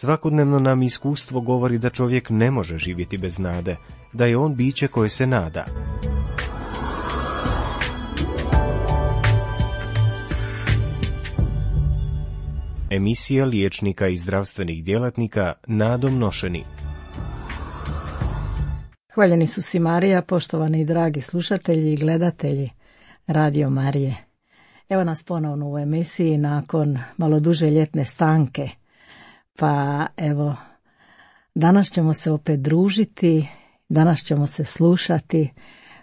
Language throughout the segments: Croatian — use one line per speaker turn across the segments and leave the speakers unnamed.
Svakodnevno nam iskustvo govori da čovjek ne može živjeti bez nade, da je on biće koje se nada. Emisija liječnika i zdravstvenih djelatnika nadom nošeni.
Hvaljeni su si Marija, poštovani i dragi slušatelji i gledatelji Radio Marije. Evo nas ponovno u emisiji nakon malo duže ljetne stanke. Pa evo, danas ćemo se opet družiti, danas ćemo se slušati,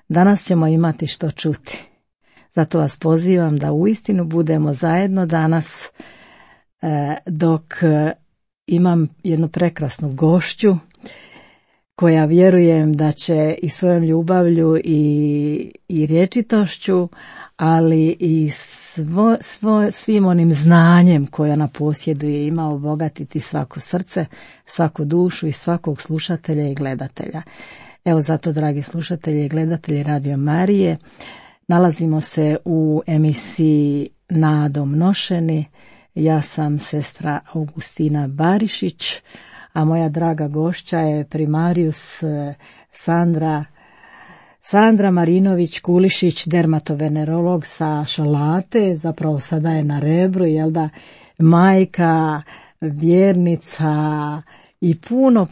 danas ćemo imati što čuti. Zato vas pozivam da uistinu budemo zajedno danas, dok imam jednu prekrasnu gošću koja vjerujem da će i svojom ljubavlju i rječitošću, ali i svim onim znanjem koje ona posjeduje ima obogatiti svako srce, svaku dušu i svakog slušatelja i gledatelja. Evo zato, dragi slušatelji i gledatelji Radio Marije, nalazimo se u emisiji Nadom nošeni. Ja sam sestra Augustina Barišić, a moja draga gošća je primarius Sandra Marinović-Kulišić, dermatovenerolog sa Šalate, zapravo sada je na Rebru, majka, vjernica i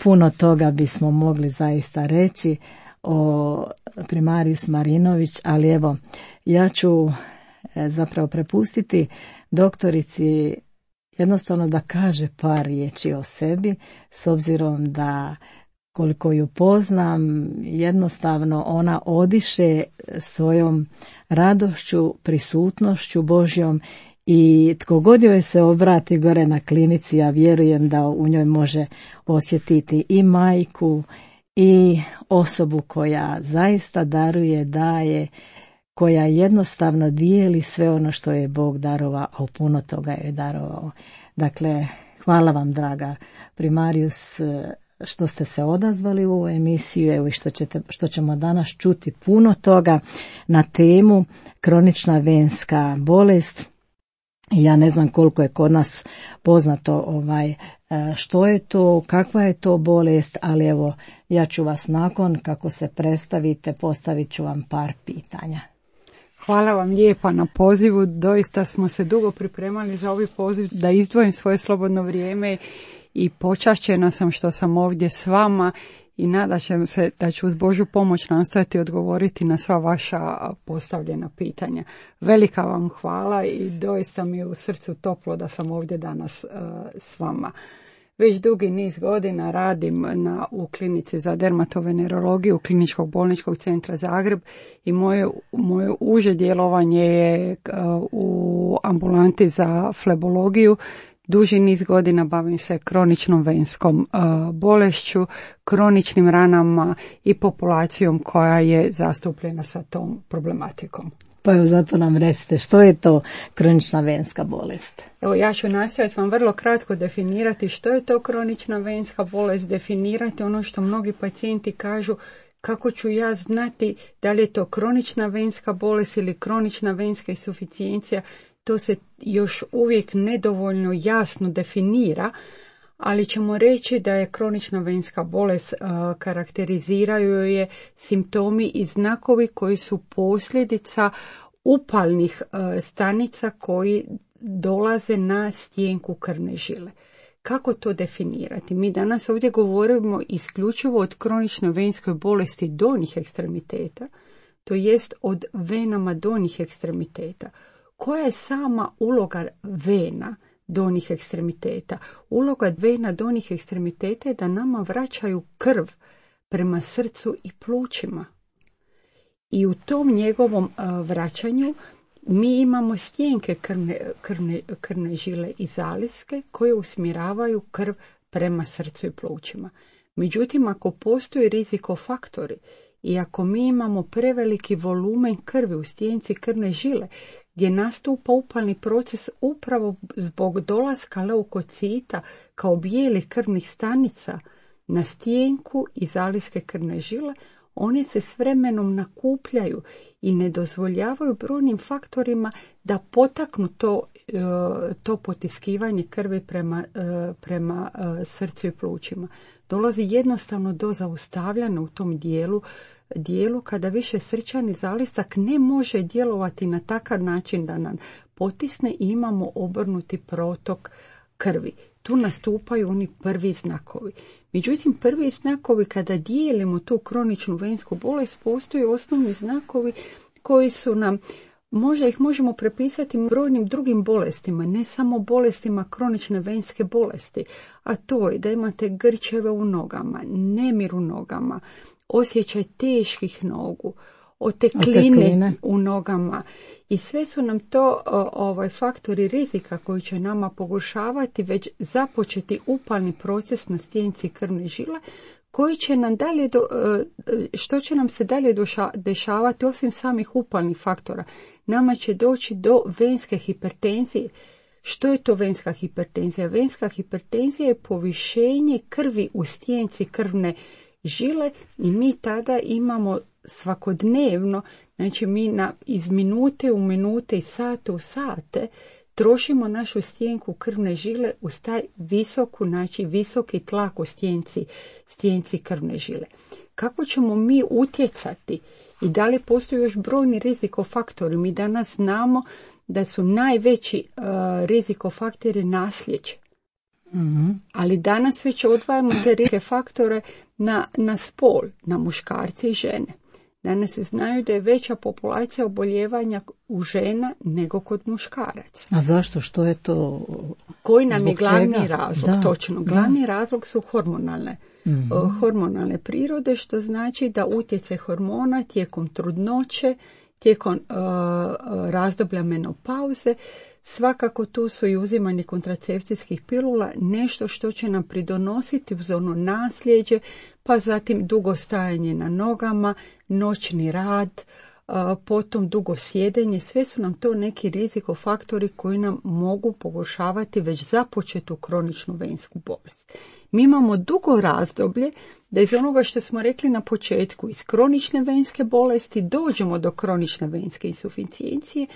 puno toga bismo mogli zaista reći o primarius Marinović, ali evo, ja ću zapravo prepustiti doktorici jednostavno da kaže par riječi o sebi, s obzirom da koliko ju poznam, jednostavno ona odiše svojom radošću, prisutnošću Božjom i tko god joj se obrati gore na klinici, ja vjerujem da u njoj može osjetiti i majku i osobu koja zaista daruje, daje, koja jednostavno dijeli sve ono što je Bog darovao, a puno toga je darovao. Dakle, hvala vam, draga primarius, što ste se odazvali u ovu emisiju, evo i što ćemo danas čuti puno toga na temu kronična venska bolest. Ja ne znam koliko je kod nas poznato što je to, kakva je to bolest, ali evo, ja ću vas nakon kako se predstavite, postavit ću vam par pitanja.
Hvala vam lijepa na pozivu, doista smo se dugo pripremali za ovaj poziv da izdvojim svoje slobodno vrijeme i počašćena sam što sam ovdje s vama i nadam se da ću uz Božju pomoć nastojati odgovoriti na sva vaša postavljena pitanja. Velika vam hvala i doista mi je u srcu toplo da sam ovdje danas s vama. Već dugi niz godina radim u klinici za dermatovenerologiju Kliničkog bolničkog centra Zagreb i moje uže djelovanje je u ambulanti za flebologiju. Duži niz godina bavim se kroničnom venskom bolešću, kroničnim ranama i populacijom koja je zastupljena sa tom problematikom.
Pa evo, zato nam recite, što je to kronična venska bolest?
Evo, ja ću nastojati vam vrlo kratko definirati što je to kronična venska bolest, definirati ono što mnogi pacijenti kažu, kako ću ja znati da li je to kronična venska bolest ili kronična venska insuficijencija. To se još uvijek nedovoljno jasno definira, ali ćemo reći da je kronična venska bolest, karakteriziraju je simptomi i znakovi koji su posljedica upalnih stanica koji dolaze na stjenku krvne žile. Kako to definirati? Mi danas ovdje govorimo isključivo od kroničnoj venskoj bolesti donjih ekstremiteta, to jest od venama donjih ekstremiteta. Koja je sama uloga vena donjih ekstremiteta? Uloga vena donjih ekstremiteta je da nama vraćaju krv prema srcu i plućima. I u tom njegovom vraćanju mi imamo stjenke krvne žile i zaliske koje usmjeravaju krv prema srcu i plućima. Međutim, ako postoji rizikofaktori i ako mi imamo preveliki volumen krvi u stjenci krvne žile, gdje nastupa upalni proces upravo zbog dolaska leukocita kao bijelih krvnih stanica na stjenku i zaliske krvne žile, one se s vremenom nakupljaju i ne dozvoljavaju brojnim faktorima da potaknu to potiskivanje krvi prema srcu i plućima. Dolazi jednostavno do zaustavljanja u tom dijelu kada više srčani zalistak ne može djelovati na takav način da nam potisne i imamo obrnuti protok krvi. Tu nastupaju oni prvi znakovi. Međutim, prvi znakovi kada dijelimo tu kroničnu vensku bolest, postoje osnovni znakovi koji su nam, možda ih možemo prepisati brojnim drugim bolestima, ne samo bolestima kronične venske bolesti, a to je da imate grčeve u nogama, nemir u nogama, osjećaj teških nogu, otekline u nogama. I sve su nam to faktori rizika koji će nama pogoršavati već započeti upalni proces na stjenici krvne žile, koji će nam dalje što će nam se dalje dešavati osim samih upalnih faktora. Nama će doći do venske hipertenzije. Što je to venska hipertenzija? Venska hipertenzija je povišenje krvi u stjenici krvne žile i mi tada imamo svakodnevno, znači mi iz minute u minute i sate u sate trošimo našu stjenku krvne žile uz taj visoki tlak u stjenci krvne žile. Kako ćemo mi utjecati i da li postoji još brojni rizikofaktori? Mi danas znamo da su najveći rizikofaktori nasljeđe. Mm-hmm. Ali danas već odvajamo te rizikofaktore na spol, na muškarce i žene. Danas se znaju da je veća populacija oboljevanja u žena nego kod muškaraca.
A zašto? Što je to?
Koji nam je glavni razlog? Da, točno. Glavni razlog su hormonalne prirode, što znači da utjecaj hormona tijekom trudnoće, tijekom razdoblja menopauze, svakako tu su i uzimanje kontracepcijskih pilula, nešto što će nam pridonositi uz ono nasljeđe, pa zatim dugo stajanje na nogama, noćni rad, potom dugo sjedenje. Sve su nam to neki rizikofaktori koji nam mogu pogoršavati već započetu kroničnu vensku bolest. Mi imamo dugo razdoblje da iz onoga što smo rekli na početku, iz kronične venske bolesti dođemo do kronične venske insuficijencije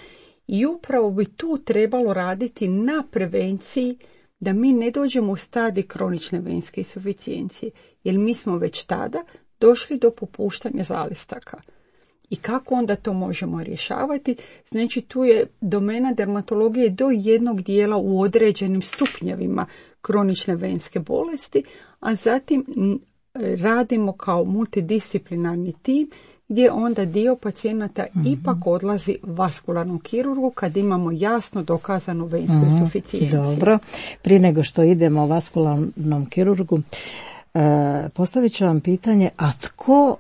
i upravo bi tu trebalo raditi na prevenciji da mi ne dođemo u stadij kronične venske insuficijencije, jer mi smo već tada došli do popuštanja zalistaka. I kako onda to možemo rješavati? Znači tu je domena dermatologije do jednog dijela u određenim stupnjevima kronične venske bolesti, a zatim radimo kao multidisciplinarni tim gdje onda dio pacijenata ipak odlazi vaskularnom kirurgu kad imamo jasno dokazanu vensku insuficijenciju.
Dobro, prije nego što idemo vaskularnom kirurgu, postavit ću vam pitanje, a tko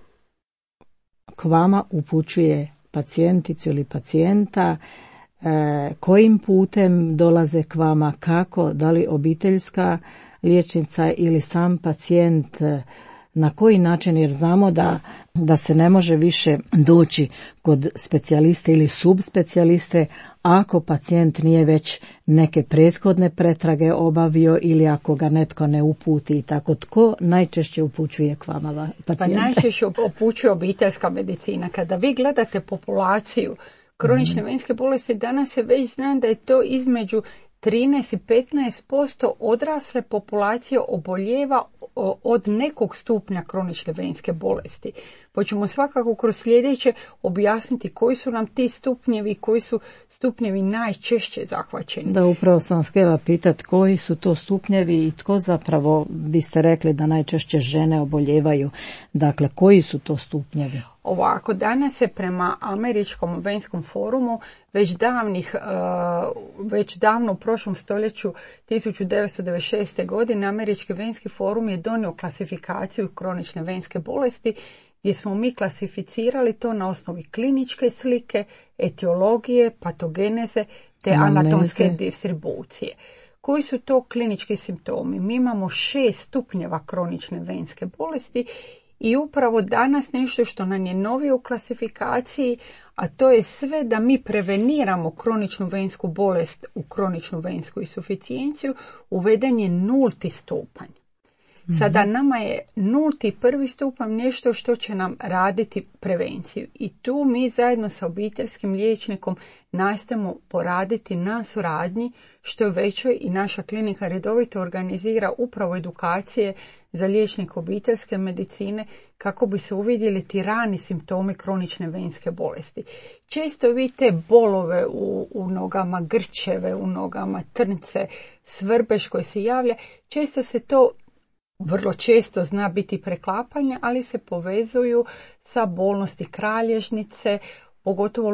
k vama upućuje pacijenticu ili pacijenta, kojim putem dolaze k vama, kako, da li obiteljska liječnica ili sam pacijent, na koji način, jer znamo da se ne može više doći kod specijaliste ili subspecijaliste ako pacijent nije već neke prethodne pretrage obavio ili ako ga netko ne uputi i tako. Tko najčešće upućuje k vama pacijente?
Pa najčešće upućuje obiteljska medicina. Kada vi gledate populaciju kronične venske bolesti, danas se već zna da je to između 13 i 15% odrasle populacije oboljeva od nekog stupnja kronične venske bolesti. Pa ćemo svakako kroz sljedeće objasniti koji su nam ti stupnjevi, koji su stupnjevi najčešće zahvaćeni.
Da, upravo sam vas htjela pitati koji su to stupnjevi i tko zapravo, vi ste rekli da najčešće žene oboljevaju. Dakle, koji su to stupnjevi?
Ovako, danas se prema Američkom venskom forumu već davno u prošlom stoljeću 1996. godine Američki venski forum je donio klasifikaciju kronične venske bolesti gdje smo mi klasificirali to na osnovi kliničke slike, etiologije, patogeneze te anatomske distribucije. Koji su to klinički simptomi? Mi imamo 6 stupnjeva kronične venske bolesti i upravo danas nešto što nam je novije u klasifikaciji, a to je sve da mi preveniramo kroničnu vensku bolest u kroničnu vensku insuficijenciju, uveden je 0. stupanj. Sada nama je 0. prvi stupanj nešto što će nam raditi prevenciju. I tu mi zajedno sa obiteljskim liječnikom nastojimo poraditi na suradnji što je većoj i naša klinika redovito organizira upravo edukacije za liječnike obiteljske medicine kako bi se uvidjeli ti rani simptomi kronične venske bolesti. Često vidite bolove u nogama, grčeve u nogama, trnce, svrbež koji se javlja. Često se to vrlo često zna biti preklapanje, ali se povezuju sa bolnosti kralježnice, pogotovo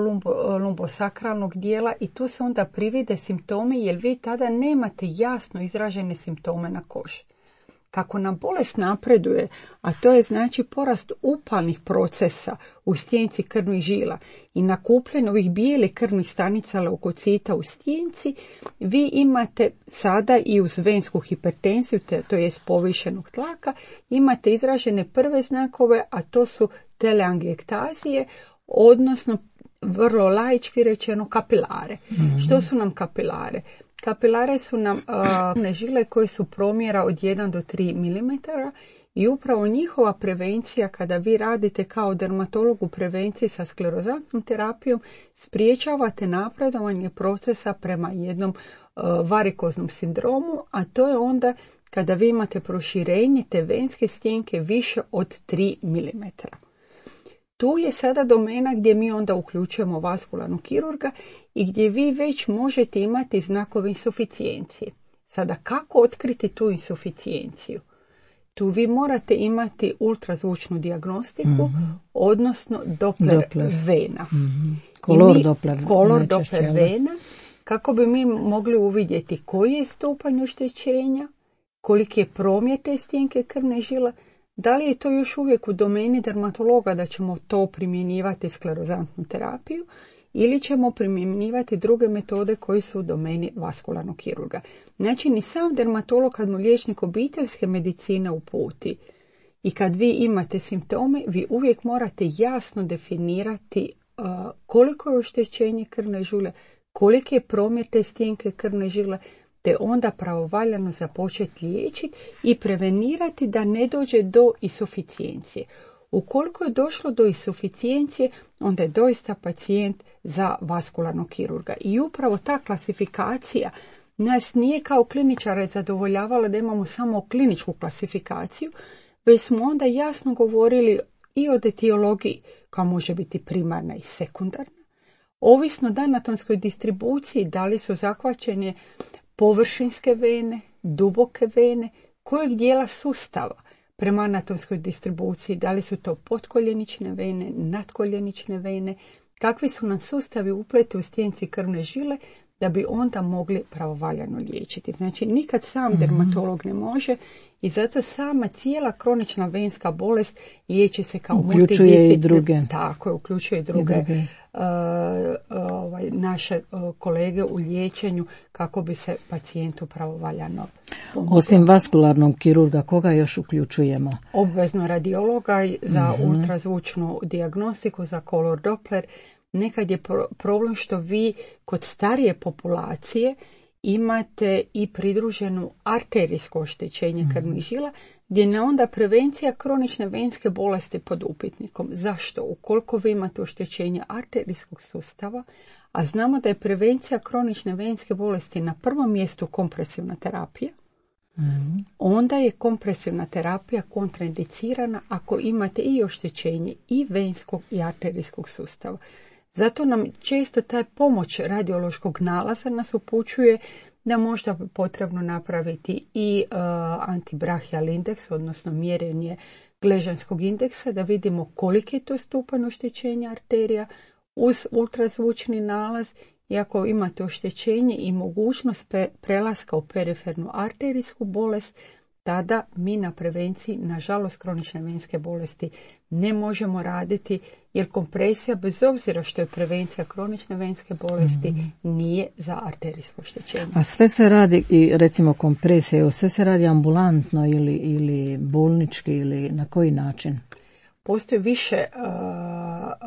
lumbosakralnog dijela i tu se onda privide simptomi jer vi tada nemate jasno izražene simptome na koži. Kako nam bolest napreduje, a to je znači porast upalnih procesa u stjenici krvnih žila i nakupljanje ovih bijelih krvnih stanica leukocita u stjenici, vi imate sada i uz vensku hipertenziju, to je povišenog tlaka, imate izražene prve znakove, a to su teleangiektazije, odnosno vrlo laički rečeno kapilare. Što su nam kapilare? Kapilare su nam žile koje su promjera od 1 do 3 mm i upravo njihova prevencija kada vi radite kao dermatolog u prevenciji sa sklerozantnom terapijom spriječavate napredovanje procesa prema jednom varikoznom sindromu, a to je onda kada vi imate proširenje te venske stjenke više od 3 mm. Tu je sada domena gdje mi onda uključujemo vaskularnog kirurga i gdje vi već možete imati znakove insuficijencije. Sada kako otkriti tu insuficijenciju? Tu vi morate imati ultrazvučnu dijagnostiku, odnosno Doppler vena.
Kolor
Doppler vena, kako bi mi mogli uvidjeti koji je stupanj oštećenja, koliki je promjer te stjenke krvne žile. Da li je to još uvijek u domeni dermatologa da ćemo to primjenjivati sklerozantnu terapiju ili ćemo primjenjivati druge metode koji su u domeni vaskularnog kirurga. Znači ni sam dermatolog kad mu liječnik obiteljske medicine uputi i kad vi imate simptome, vi uvijek morate jasno definirati koliko je oštećenje krvne žile, koliki je promjer te stjenke krvne žile, te onda pravovaljano započeti liječiti i prevenirati da ne dođe do insuficijencije. Ukoliko je došlo do insuficijencije, onda je doista pacijent za vaskularnog kirurga. I upravo ta klasifikacija nas nije kao kliničare zadovoljavala da imamo samo kliničku klasifikaciju, već smo onda jasno govorili i o etiologiji koja može biti primarna i sekundarna. Ovisno o anatomskoj distribuciji, da li su zahvaćene površinske vene, duboke vene, kojeg dijela sustava prema anatomskoj distribuciji, da li su to potkoljenične vene, nadkoljenične vene, kakvi su nam sustavi upleti u stjenici krvne žile da bi onda mogli pravovaljano liječiti. Znači nikad sam dermatolog ne može i zato sama cijela kronična venska bolest liječi se kao
uključuje i druge.
Tako je, uključuje i druge. Naše kolege u liječenju kako bi se pacijentu pravovaljano pomoglo.
Osim vaskularnog kirurga, koga još uključujemo?
Obvezno radiologa za ultrazvučnu dijagnostiku, za kolor Doppler. Nekad je problem što vi kod starije populacije imate i pridruženu arterijsko oštećenje krvnih žila, gdje je onda prevencija kronične venske bolesti pod upitnikom. Zašto? Ukoliko vi imate oštećenje arterijskog sustava, a znamo da je prevencija kronične venske bolesti na prvom mjestu kompresivna terapija, onda je kompresivna terapija kontraindicirana ako imate i oštećenje i venskog i arterijskog sustava. Zato nam često taj pomoć radiološkog nalaza nas upućuje da možda bi potrebno napraviti i antibrachial indeks, odnosno mjerenje gležanskog indeksa, da vidimo koliki je to stupanj oštećenja arterija uz ultrazvučni nalaz i ako imate oštećenje i mogućnost prelaska u perifernu arterijsku bolest, tada mi na prevenciji, nažalost, kronične venske bolesti ne možemo raditi, jer kompresija, bez obzira što je prevencija kronične venske bolesti, nije za arterijsko oštećenje.
A sve se radi, i recimo kompresija, sve se radi ambulantno ili bolnički ili na koji način?
Postoji više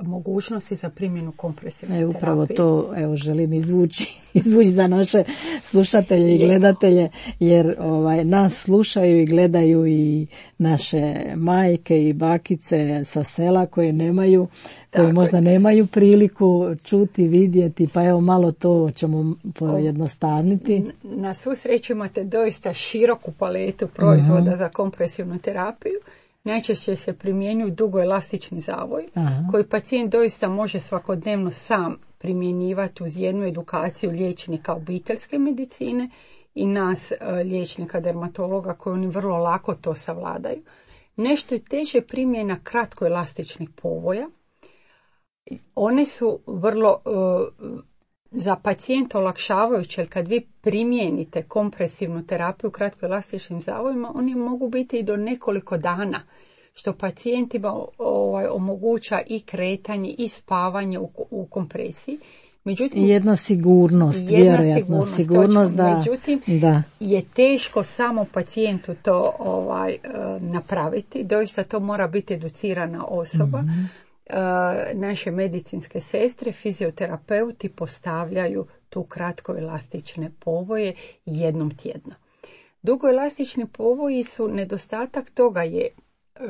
mogućnosti za primjenu kompresivne terapije.
Upravo to želim izvući za naše slušatelje i gledatelje, jer nas slušaju i gledaju i naše majke i bakice sa sela koje možda nemaju priliku čuti, vidjeti, pa evo malo to ćemo pojednostavniti.
Na svu sreću imate doista široku paletu proizvoda za kompresivnu terapiju. Najčešće se primjenjuju dugoelastični zavoj, koji pacijent doista može svakodnevno sam primjenjivati uz jednu edukaciju liječnika obiteljske medicine i nas liječnika dermatologa koji oni vrlo lako to savladaju. Nešto je teže primjena kratkoelastičnih povoja. One su vrlo za pacijenta olakšavajuće, jer kad vi primijenite kompresivnu terapiju kratkoelastičnim zavojima, oni mogu biti i do nekoliko dana, što pacijentima omoguća i kretanje i spavanje u kompresiji. Međutim,
jedna vjerojatno sigurnost
da je teško samo pacijentu to napraviti. Doista to mora biti educirana osoba. Naše medicinske sestre, fizioterapeuti postavljaju tu kratkoelastične povoje jednom tjedno. Dugoelastični povoji su, nedostatak toga je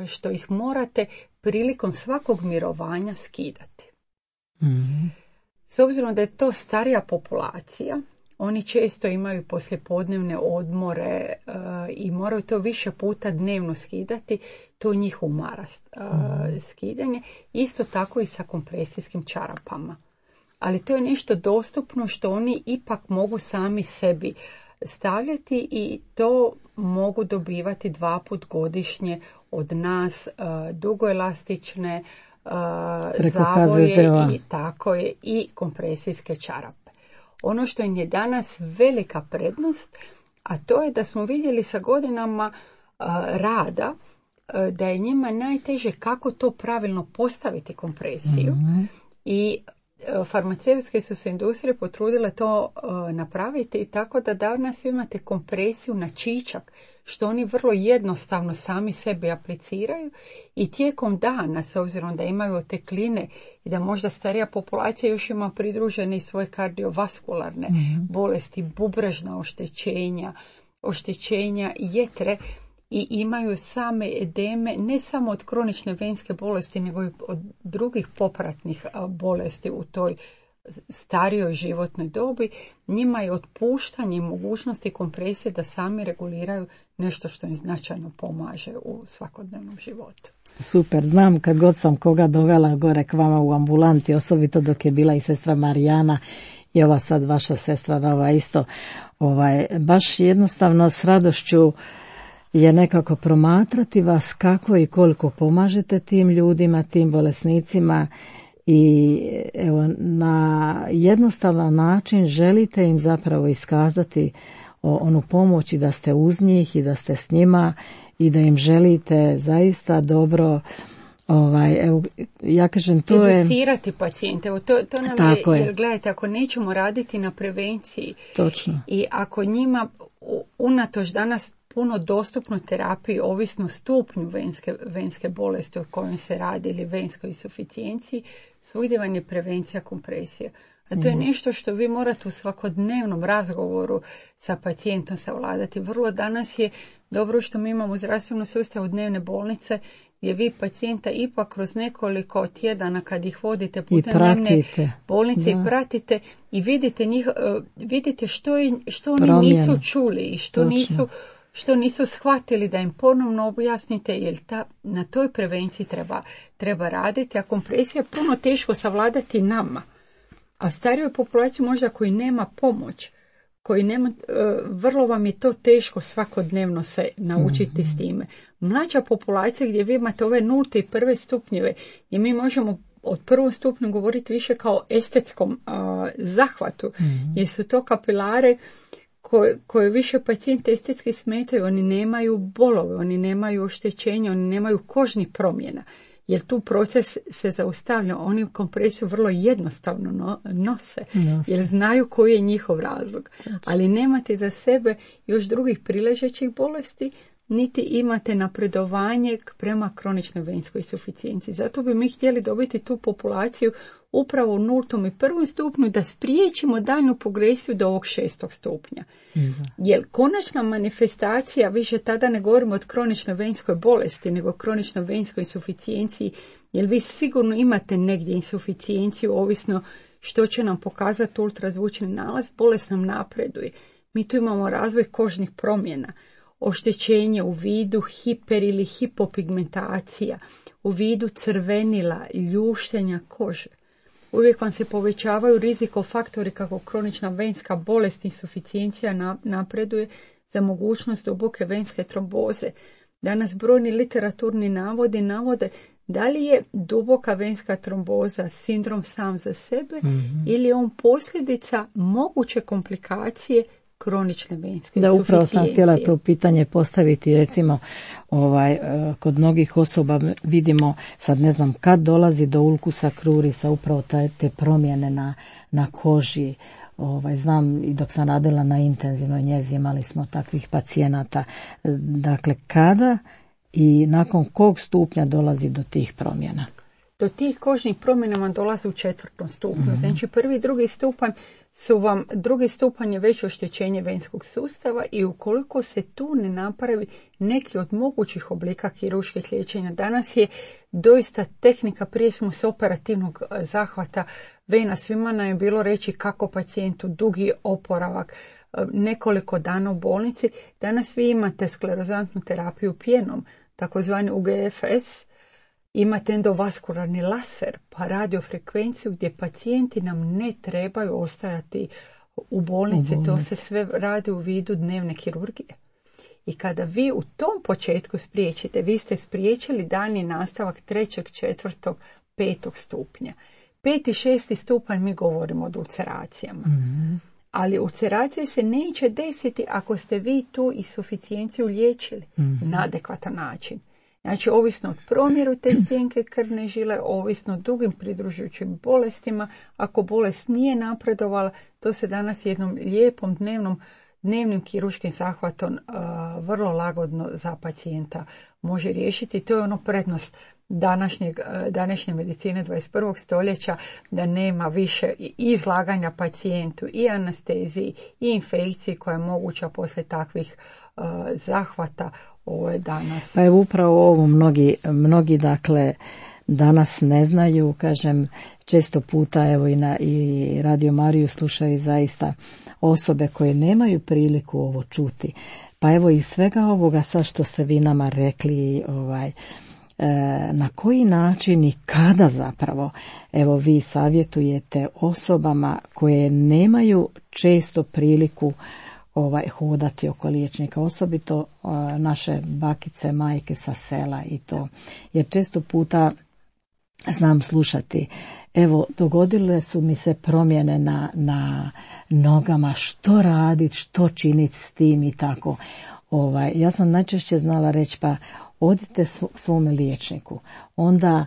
što ih morate prilikom svakog mirovanja skidati. S obzirom da je to starija populacija, oni često imaju poslijepodnevne odmore i moraju to više puta dnevno skidati, to njih umara skidanje. Isto tako i sa kompresijskim čarapama. Ali to je nešto dostupno što oni ipak mogu sami sebi stavljati i to mogu dobivati 2 puta godišnje od nas, dugoelastične zavoje i tako je i kompresijske čarape. Ono što im je danas velika prednost, a to je da smo vidjeli sa godinama rada da je njima najteže kako to pravilno postaviti kompresiju i farmaceutske su se industrije potrudile to napraviti tako da danas imate kompresiju na čičak, što oni vrlo jednostavno sami sebi apliciraju i tijekom dana, s obzirom da imaju otekline i da možda starija populacija još ima pridružene i svoje kardiovaskularne bolesti, bubrežna oštećenja jetre i imaju same edeme ne samo od kronične venske bolesti nego i od drugih popratnih bolesti u toj starijoj životnoj dobi, njima je otpuštanje mogućnosti kompresije da sami reguliraju nešto što im značajno pomaže u svakodnevnom životu.
Super, znam kad god sam koga dovela gore k vama u ambulanti, osobito dok je bila i sestra Marijana i ova sad vaša sestra isto, baš jednostavno s radošću je nekako promatrati vas kako i koliko pomažete tim ljudima, tim bolesnicima i evo na jednostavan način želite im zapravo iskazati onu pomoć i da ste uz njih i da ste s njima i da im želite zaista dobro. Evo, ja kažem, to je
educirati pacijente. Evo, to nam je, jer gledajte, ako nećemo raditi na prevenciji,
točno,
i ako njima unatoč danas puno dostupno terapiji ovisno stupnju venske bolesti o kojoj se radi ili venskoj insuficijenciji, svugdje vam je prevencija kompresije. A to je nešto što vi morate u svakodnevnom razgovoru sa pacijentom savladati. Vrlo danas je dobro što mi imamo u zdravstvenom sustavu dnevne bolnice gdje vi pacijenta ipak kroz nekoliko tjedana kad ih vodite putem dnevne bolnice i pratite i vidite što oni nisu čuli i što nisu shvatili, da im ponovno objasnite, jer na toj prevenciji treba raditi, a kompresija je puno teško savladati nama. A starijoj populaciji možda koji nema pomoć, vrlo vam je to teško svakodnevno se naučiti s time. Mlađa populacija gdje vi imate ove 0. i 1. stupnjeve, gdje mi možemo od 1. stupnju govoriti više kao estetskom zahvatu, jer su to kapilare koje više pacijente estetski smetaju, oni nemaju bolove, oni nemaju oštećenja, oni nemaju kožnih promjena, jer tu proces se zaustavlja. Oni kompresiju vrlo jednostavno nose, jer znaju koji je njihov razlog. Ali nemate za sebe još drugih priležećih bolesti, niti imate napredovanje prema kroničnoj venskoj suficijenciji. Zato bi mi htjeli dobiti tu populaciju upravo u 0. i 1. stupnju da spriječimo daljnju progresiju do ovog 6. stupnja. Jer konačna manifestacija, više tada ne govorimo od kroničnoj venskoj bolesti, nego kroničnoj venskoj insuficijenciji, jer vi sigurno imate negdje insuficijenciju, ovisno što će nam pokazati ultrazvučni nalaz, bolest nam napreduje. Mi tu imamo razvoj kožnih promjena, oštećenje u vidu hiper ili hipopigmentacija, u vidu crvenila, ljuštenja kože. Uvijek vam se povećavaju rizikofaktori kako kronična venska bolest, insuficijencija napreduje za mogućnost duboke venske tromboze. Danas brojni literaturni navode da li je duboka venska tromboza sindrom sam za sebe ili je on posljedica moguće komplikacije kronične venske
Da, upravo sam htjela to pitanje postaviti, recimo kod mnogih osoba vidimo, sad ne znam kad dolazi do ulkusa krurisa, upravo te promjene na koži. Znam i dok sam radila na intenzivnoj njezi imali smo takvih pacijenata. Dakle, kada i nakon kog stupnja dolazi do tih promjena?
Do tih kožnih promjena vam dolazi u 4. stupnju. Znači 1. i 2. stupanj su vam, 2. stupanj je već oštećenje venskog sustava i ukoliko se tu ne napravi neki od mogućih oblika kirurških liječenja, danas je doista tehnika, prije smo s operativnog zahvata vena, svima nam je bilo reći kako pacijentu dugi oporavak, nekoliko dana u bolnici. Danas vi imate sklerozantnu terapiju pjenom, takozvani UGFS, imate endovaskularni laser, pa radiofrekvenciju gdje pacijenti nam ne trebaju ostajati u bolnici. To se sve radi u vidu dnevne kirurgije. I kada vi u tom početku spriječite, vi ste spriječili daljnji nastavak 3., 4., 5. stupnja. 5. i 6. stupanj mi govorimo o ulceracijama. Ali ulceracije se neće desiti ako ste vi tu insuficijenciju liječili na adekvatan način. Znači, ovisno od promjeru te stjenke krvne žile, ovisno o drugim pridružujućim bolestima, ako bolest nije napredovala, to se danas jednom lijepom dnevnim kirurškim zahvatom vrlo lagodno za pacijenta može riješiti. To je ono prednost današnje medicine 21. stoljeća, da nema više i izlaganja pacijentu i anesteziji i infekciji koja je moguća poslije takvih zahvata. Ovo je danas.
Pa evo upravo ovo mnogi dakle danas ne znaju, kažem, često puta evo i Radio Mariju slušaju zaista osobe koje nemaju priliku ovo čuti. Pa evo iz svega ovoga sad što ste vi nama rekli, na koji način i kada zapravo evo vi savjetujete osobama koje nemaju često priliku hodati oko liječnika, osobito naše bakice, majke sa sela i to. Jer često puta znam slušati, evo dogodile su mi se promjene na nogama, što raditi, što činiti s tim i tako. Ja sam najčešće znala reći, pa odite svome liječniku. Onda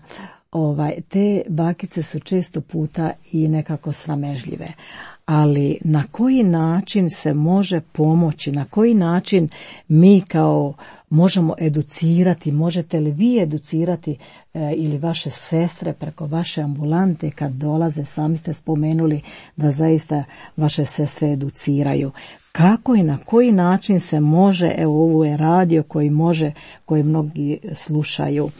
te bakice su često puta i nekako sramežljive. Ali na koji način se može pomoći, na koji način mi kao možemo educirati, možete li vi educirati ili vaše sestre preko vaše ambulante kad dolaze, sami ste spomenuli da zaista vaše sestre educiraju. Kako i na koji način se može, evo ovo je radio koji mnogi slušaju,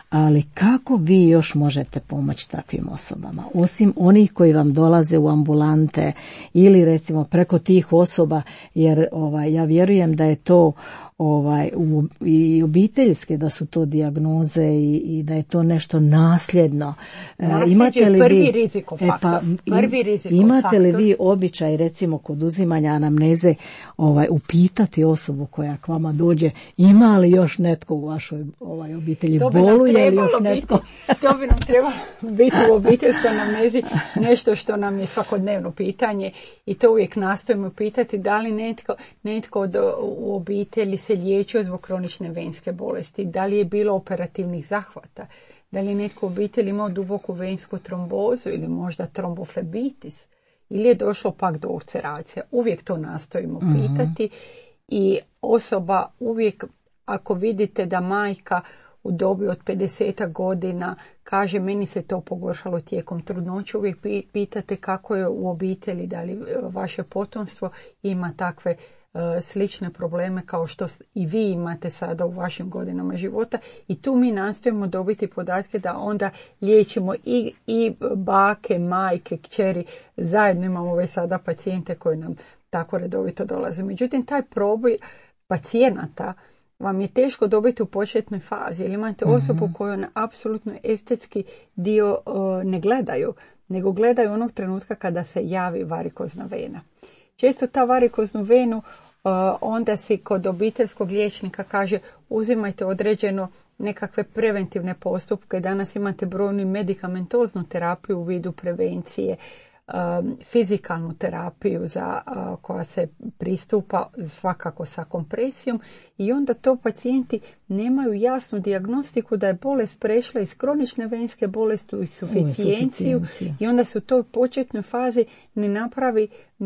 ali kako vi još možete pomoći takvim osobama? Osim onih koji vam dolaze u ambulante ili recimo preko tih osoba, jer ja vjerujem da je to i obiteljske, da su to dijagnoze i da je to nešto nasljedno.
Imate li prvi rizikofaktor.
Imate li vi običaj recimo kod uzimanja anamneze upitati osobu koja k vama dođe, ima li još netko u vašoj obitelji, boluje li još netko?
To bi nam trebalo biti u obiteljskoj anamnezi nešto što nam je svakodnevno pitanje i to uvijek nastojimo pitati, da li netko u obitelji se liječio zbog kronične venske bolesti, da li je bilo operativnih zahvata, da li je netko u obitelji imao duboku vensku trombozu ili možda tromboflebitis ili je došlo pak do ulceracija. Uvijek to nastojimo pitati i osoba uvijek, ako vidite da majka u dobi od 50 godina kaže meni se to pogoršalo tijekom trudnoće, uvijek pitate kako je u obitelji, da li vaše potomstvo ima takve slične probleme kao što i vi imate sada u vašim godinama života, i tu mi nastojimo dobiti podatke da onda liječimo i bake, majke, kćeri, zajedno imamo već sada pacijente koji nam tako redovito dolaze. Međutim, taj proboj pacijenata vam je teško dobiti u početnoj fazi, jer imate osobu koju na apsolutno estetski dio ne gledaju, nego gledaju onog trenutka kada se javi varikozna vena. Često ta varikoznu venu onda si kod obiteljskog liječnika kaže uzimajte određeno nekakve preventivne postupke. Danas imate brojnu medikamentoznu terapiju u vidu prevencije, fizikalnu terapiju koja se pristupa svakako sa kompresijom, i onda to pacijenti nemaju jasnu dijagnostiku da je bolest prešla iz kronične venske bolesti u suficijenciju, i onda se u toj početnoj fazi ne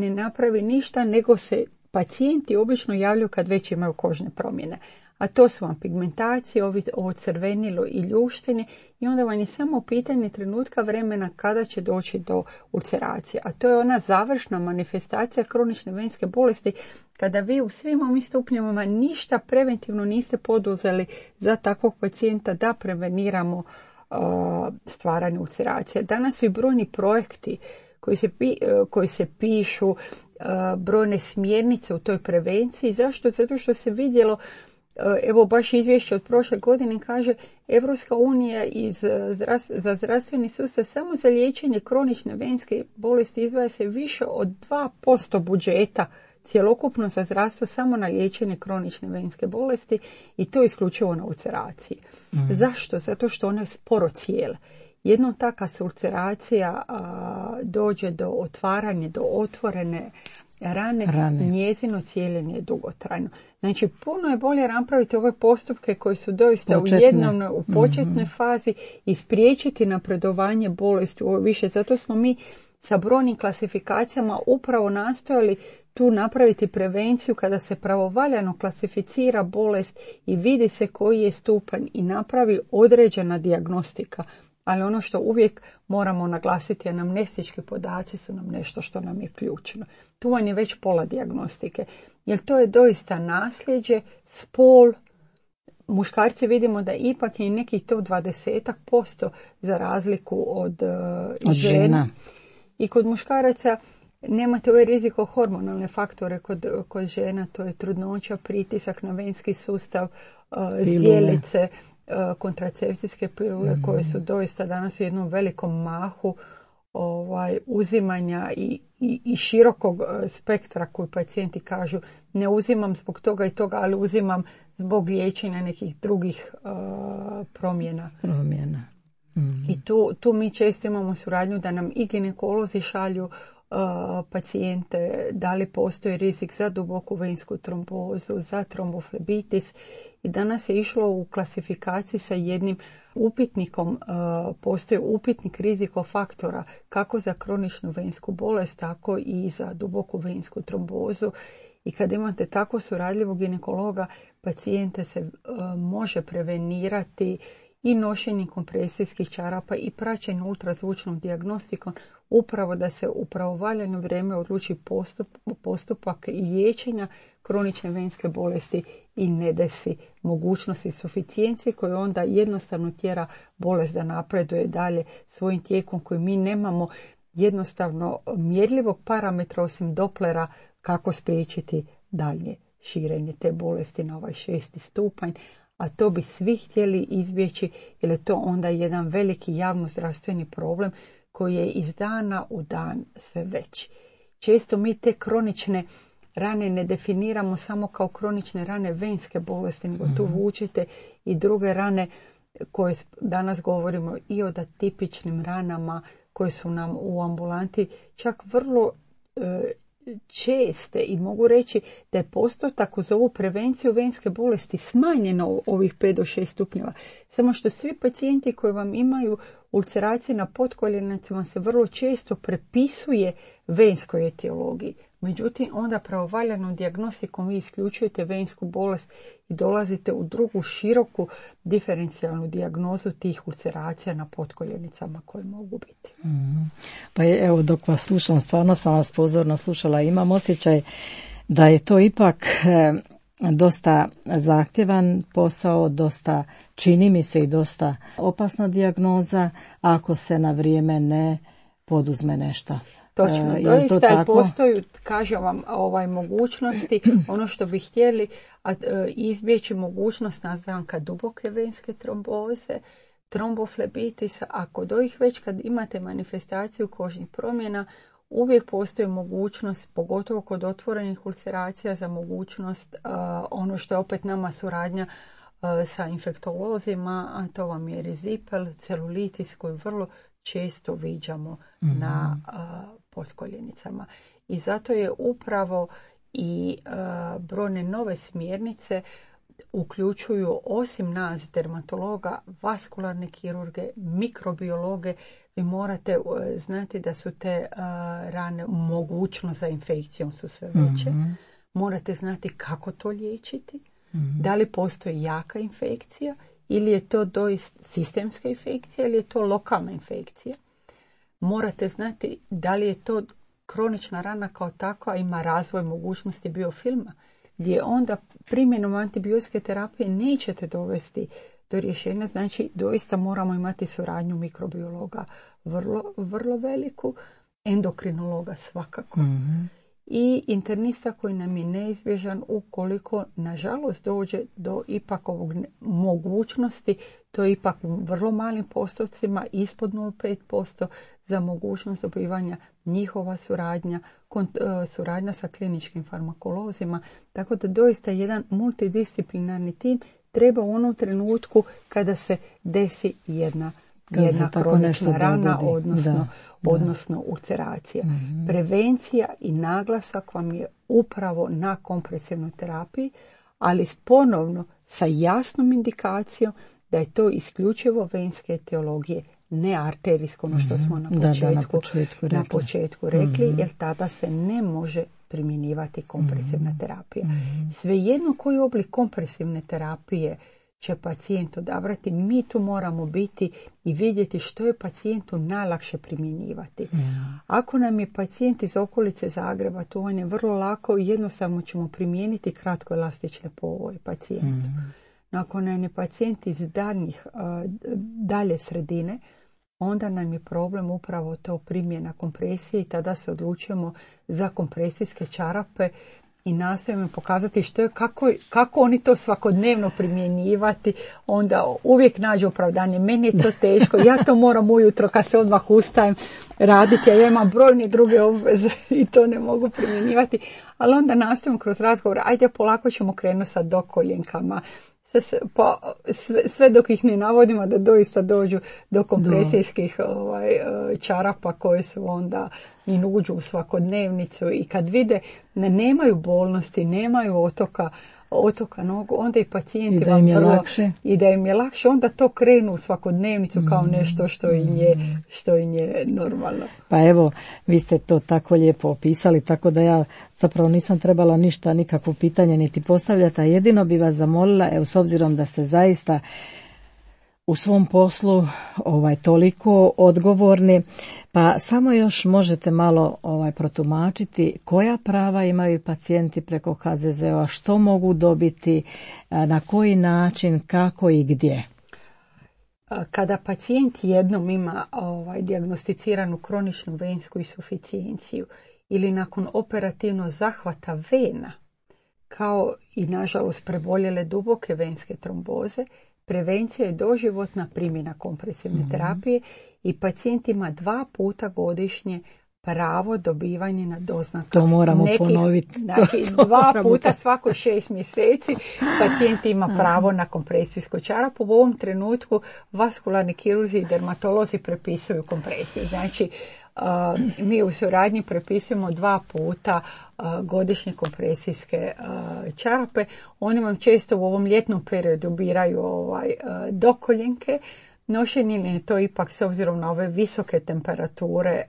napravi ništa, nego se pacijenti obično javljaju kad već imaju kožne promjene. A to su vam pigmentacije, ovo crvenilo i ljuštenje, i onda vam je samo pitanje trenutka vremena kada će doći do ulceracije. A to je ona završna manifestacija kronične venske bolesti, kada vi u svim ovim stupnjevima ništa preventivno niste poduzeli za takvog pacijenta da preveniramo stvaranje ulceracije. Danas su i brojni projekti koji se pišu, brojne smjernice u toj prevenciji. Zašto? Zato što se vidjelo, evo baš izvješće od prošle godine kaže, Evropska unija za zdravstveni sustav samo za liječenje kronične venske bolesti izdvaja se više od 2% budžeta cjelokupno za zdravstvo samo na liječenje kronične venske bolesti, i to isključivo na ulceraciji. Zašto? Zato što one sporo cijele. Jednom taka se ulceracija dođe do otvaranja, do otvorene rane. Njezino cijeljenje je dugotrajno. Znači, puno je bolje napraviti ove postupke koji su doista u početnoj fazi i spriječiti napredovanje bolesti više. Zato smo mi sa brojnim klasifikacijama upravo nastojali tu napraviti prevenciju kada se pravovaljano klasificira bolest i vidi se koji je stupanj i napravi određena dijagnostika. Ali ono što uvijek moramo naglasiti, anamnestički podaci su nam nešto što nam je ključno. Tu vam je već pola dijagnostike, jer to je doista nasljeđe, spol. Muškarci vidimo da ipak je nekih to 20% za razliku od žena. I kod muškaraca nemate ovaj riziko hormonalne faktore kod žena, to je trudnoća, pritisak na venski sustav, zdjelice, kontracepcijske pilule koje su doista danas u jednom velikom mahu uzimanja i širokog spektra koji pacijenti kažu ne uzimam zbog toga i toga, ali uzimam zbog liječenja nekih drugih promjena. I tu mi često imamo suradnju da nam i ginekolozi šalju pacijente, da li postoji rizik za duboku vensku trombozu, za tromboflebitis, i danas je išlo u klasifikaciji sa jednim upitnikom, postoji upitnik rizikofaktora kako za kroničnu vensku bolest, tako i za duboku vensku trombozu, i kad imate tako suradljivog ginekologa, pacijente se može prevenirati i nošenjem kompresijskih čarapa i praćenjem ultrazvučnom dijagnostikom, upravo da se u pravovaljano vrijeme odluči postupak liječenja kronične venske bolesti i ne desi mogućnosti suficijencije koje onda jednostavno tjera bolest da napreduje dalje svojim tijekom koji mi nemamo jednostavno mjerljivog parametra osim Dopplera kako spriječiti dalje širenje te bolesti na ovaj 6. stupanj. A to bi svi htjeli izbjeći, jer je to onda jedan veliki javnozdravstveni problem koji je iz dana u dan sve veći. Često mi te kronične rane ne definiramo samo kao kronične rane venske bolesti, nego tu vučete i druge rane koje danas govorimo i o atipičnim ranama koje su nam u ambulanti čak vrlo česte, i mogu reći da je postotak uz ovu prevenciju venske bolesti smanjeno ovih 5 do 6 stupnjeva. Samo što svi pacijenti koji vam imaju ulceracije na potkoljenjacima se vrlo često prepisuje venskoj etiologiji. Međutim, onda pravovaljanom dijagnostikom vi isključujete vensku bolest i dolazite u drugu široku diferencijalnu dijagnozu tih ulceracija na potkoljenicama koje mogu biti.
Pa evo, dok vas slušam, stvarno sam vas pozorno slušala, imam osjećaj da je to ipak dosta zahtjevan posao, dosta, čini mi se, i dosta opasna dijagnoza ako se na vrijeme ne poduzme nešto.
Točno, doista postoji, kažem vam, mogućnosti, ono što bi htjeli izbjeći mogućnost nastanka duboke venske tromboze, tromboflebitisa. Ako do ih već kad imate manifestaciju kožnih promjena, uvijek postoji mogućnost, pogotovo kod otvorenih ulceracija, za mogućnost ono što je opet nama suradnja sa infektolozima, a to vam je rizipel, celulitis koju vrlo često viđamo na potkoljenicama. I zato je upravo i brojne nove smjernice uključuju, osim nas dermatologa, vaskularne kirurge, mikrobiologe. Vi morate znati da su te rane mogućnost za infekcijom su sve veće. Morate znati kako to liječiti. Da li postoji jaka infekcija ili je to doista sistemska infekcija ili je to lokalna infekcija. Morate znati da li je to kronična rana kao takva, ima razvoj mogućnosti biofilma, gdje onda primjenom antibiotske terapije nećete dovesti do rješenja. Znači, doista moramo imati suradnju mikrobiologa vrlo, vrlo veliku, endokrinologa svakako. I internista koji nam je neizbježan ukoliko, nažalost, dođe do ipak ovog mogućnosti, to je ipak u vrlo malim postocima, ispod 0,5% za mogućnost dobivanja njihova suradnja sa kliničkim farmakolozima. Tako da doista jedan multidisciplinarni tim treba u onom trenutku kada se desi jedna kronična rana, odnosno ulceracija. Prevencija i naglasak vam je upravo na kompresivnoj terapiji, ali ponovno sa jasnom indikacijom da je to isključivo venske etiologije, ne arterijsko, ono što smo na početku rekli, jer tada se ne može primjenjivati kompresivna terapija. Svejedno koji oblik kompresivne terapije će pacijent odabrati, mi tu moramo biti i vidjeti što je pacijentu najlakše primjenjivati. Ako nam je pacijent iz okolice Zagreba, to on je vrlo lako i jednostavno ćemo primijeniti kratkoelastične povoje pacijentu. Ako nam je pacijent iz dalje sredine, onda nam je problem upravo to primjena kompresije i tada se odlučujemo za kompresijske čarape i nastojimo pokazati kako oni to svakodnevno primjenjivati. Onda uvijek nađu opravdanje. Meni je to teško, ja to moram ujutro kad se odmah ustajem raditi, a ja imam brojne druge obveze i to ne mogu primjenjivati. Ali onda nastojimo kroz razgovor, ajde polako ćemo krenuti sa dokoljenkama. Sve dok ih ne navodimo da doista dođu do kompresijskih čarapa koje su onda i uđu u svakodnevnicu i kad vide da nemaju bolnosti, nemaju otoka nogu, onda i pacijenti i da im je lakše, onda to krenu u svakodnevnicu kao nešto što im je normalno.
Pa evo, vi ste to tako lijepo opisali, tako da ja zapravo nisam trebala nikakvo pitanje niti postavljati, a jedino bi vas zamolila, evo, s obzirom da ste zaista u svom poslu toliko odgovorni, pa samo još možete malo protumačiti koja prava imaju pacijenti preko HZZO-a, što mogu dobiti, na koji način, kako i gdje.
Kada pacijent jednom ima dijagnosticiranu kroničnu vensku insuficijenciju ili nakon operativnog zahvata vena, kao i nažalost preboljele duboke venske tromboze, prevencija je doživotna primjena kompresivne terapije i pacijent ima 2 puta godišnje pravo dobivanje na doznaka.
To moramo ponoviti.
Znači, 2 puta svako 6 mjeseci pacijent ima pravo na kompresijsku čarapu. U ovom trenutku vaskularni kirurzi i dermatolozi prepisuju kompresiju. Znači, mi u suradnji prepisujemo 2 puta godišnje kompresijske čarape. Oni vam često u ovom ljetnom periodu biraju dokoljenke. Nošenje je to ipak s obzirom na ove visoke temperature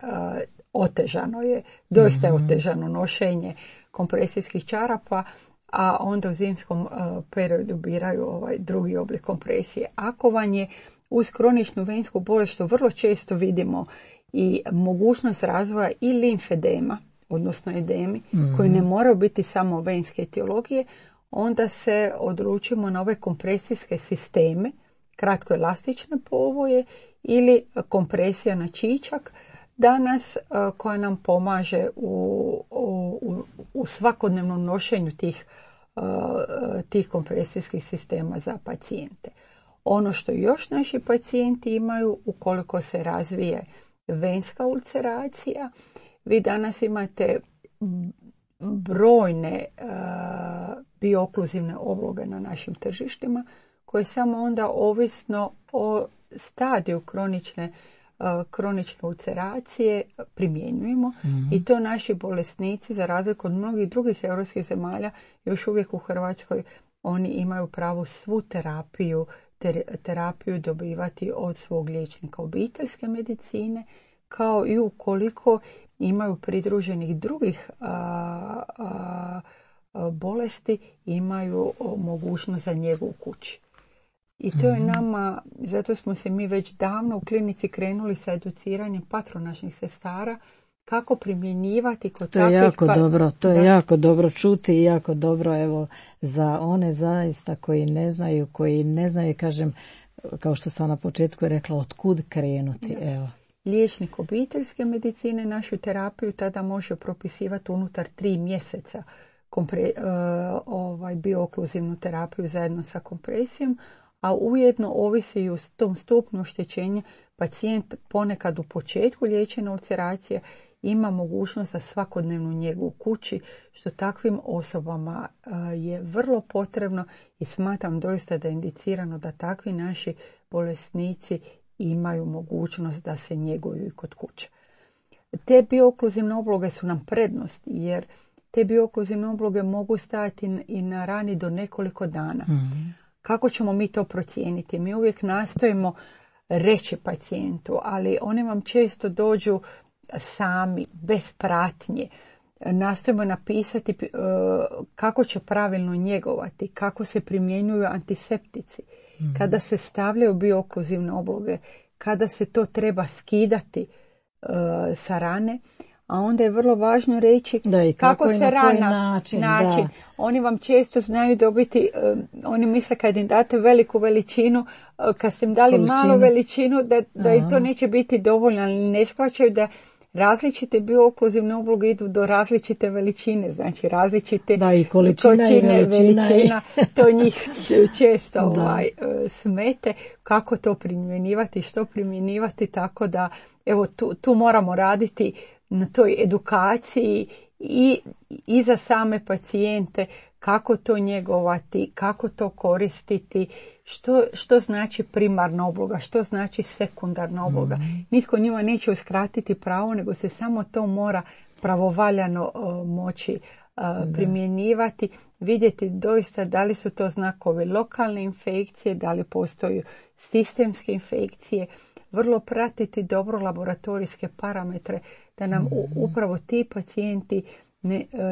otežano je, doista je otežano nošenje kompresijskih čarapa, a onda u zimskom periodu biraju drugi oblik kompresije. Ako vam je uz kroničnu vensku bolest, što vrlo često vidimo, i mogućnost razvoja i limfedema, odnosno edemi, koji ne moraju biti samo venske etiologije, onda se odlučimo na ove kompresijske sisteme, kratkoelastične povoje ili kompresija na čičak, danas koja nam pomaže u svakodnevnom nošenju tih kompresijskih sistema za pacijente. Ono što još naši pacijenti imaju, ukoliko se razvije venska ulceracija, vi danas imate brojne biokluzivne obloge na našim tržištima, koje samo onda ovisno o stadiju kronične ulceracije primjenjujemo i to naši bolesnici, za razliku od mnogih drugih europskih zemalja, još uvijek u Hrvatskoj oni imaju pravo svu terapiju dobivati od svog liječnika obiteljske medicine, kao i ukoliko imaju pridruženih drugih bolesti, imaju mogućnost za njegu u kući. I to je nama, zato smo se mi već davno u klinici krenuli sa educiranjem patronažnih sestara kako primjenjivati kod takvih...
To je jako dobro čuti i jako dobro, evo, za one zaista koji ne znaju, kažem, kao što sam na početku rekla, otkud krenuti, evo.
Liječnik obiteljske medicine našu terapiju tada može propisivati unutar 3 mjeseca biokluzivnu terapiju zajedno sa kompresijom, a ujedno ovisi i u tom stupnju oštećenja pacijent ponekad u početku liječenja ulceracije ima mogućnost za svakodnevnu njegu u kući, što takvim osobama je vrlo potrebno i smatram doista da je indicirano da takvi naši bolesnici imaju mogućnost da se njeguju i kod kuće. Te biokluzivne obloge su nam prednost, jer te biokluzivne obloge mogu stajati i na rani do nekoliko dana. Kako ćemo mi to procijeniti? Mi uvijek nastojimo reći pacijentu, ali oni vam često dođu sami, bez pratnje. Nastojimo napisati kako će pravilno njegovati, kako se primjenjuju antiseptici, kada se stavljaju biokluzivne obloge, kada se to treba skidati sa rane, a onda je vrlo važno reći kako se rana način. Oni vam često znaju dobiti, oni misle kad im date veliku veličinu, kad ste im dali malu veličinu, da i to neće biti dovoljno, ali ne shvaćaju da različite biokluzivne obloge idu do različite veličine, znači različite količine, veličina, to njih često smete, kako to primjenjivati, što primjenjivati, tako da evo tu moramo raditi na toj edukaciji i za same pacijente, kako to njegovati, kako to koristiti, što znači primarna obloga, što znači sekundarna obloga. Nitko njima neće uskratiti pravo, nego se samo to mora pravovaljano moći primjenjivati, vidjeti doista da li su to znakovi lokalne infekcije, da li postoji sistemske infekcije, vrlo pratiti dobro laboratorijske parametre, da nam upravo ti pacijenti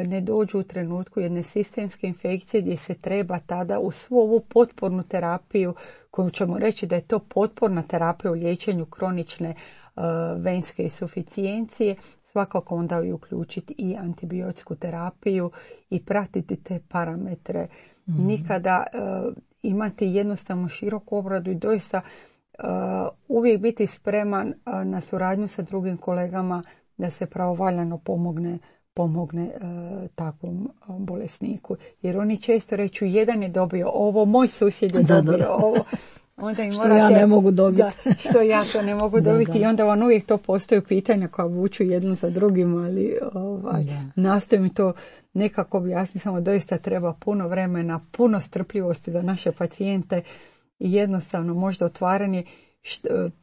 ne dođu u trenutku jedne sistemske infekcije gdje se treba tada u svu ovu potpornu terapiju, koju ćemo reći da je to potporna terapija u liječenju kronične venske insuficijencije, svakako onda i uključiti i antibiotsku terapiju i pratiti te parametre. Nikada imati jednostavno široku obradu i doista uvijek biti spreman na suradnju sa drugim kolegama da se pravovaljano pomogne takvom bolesniku. Jer oni često reću, jedan je dobio ovo, moj susjed je dobio ovo. Onda im
što ja ne mogu dobiti.
Što ja to ne mogu dobiti. I onda vam uvijek to postoje pitanja koja vuču jedno za drugim, ali nastojim to nekako objasniti. Samo doista treba puno vremena, puno strpljivosti za naše pacijente i jednostavno možda otvaranje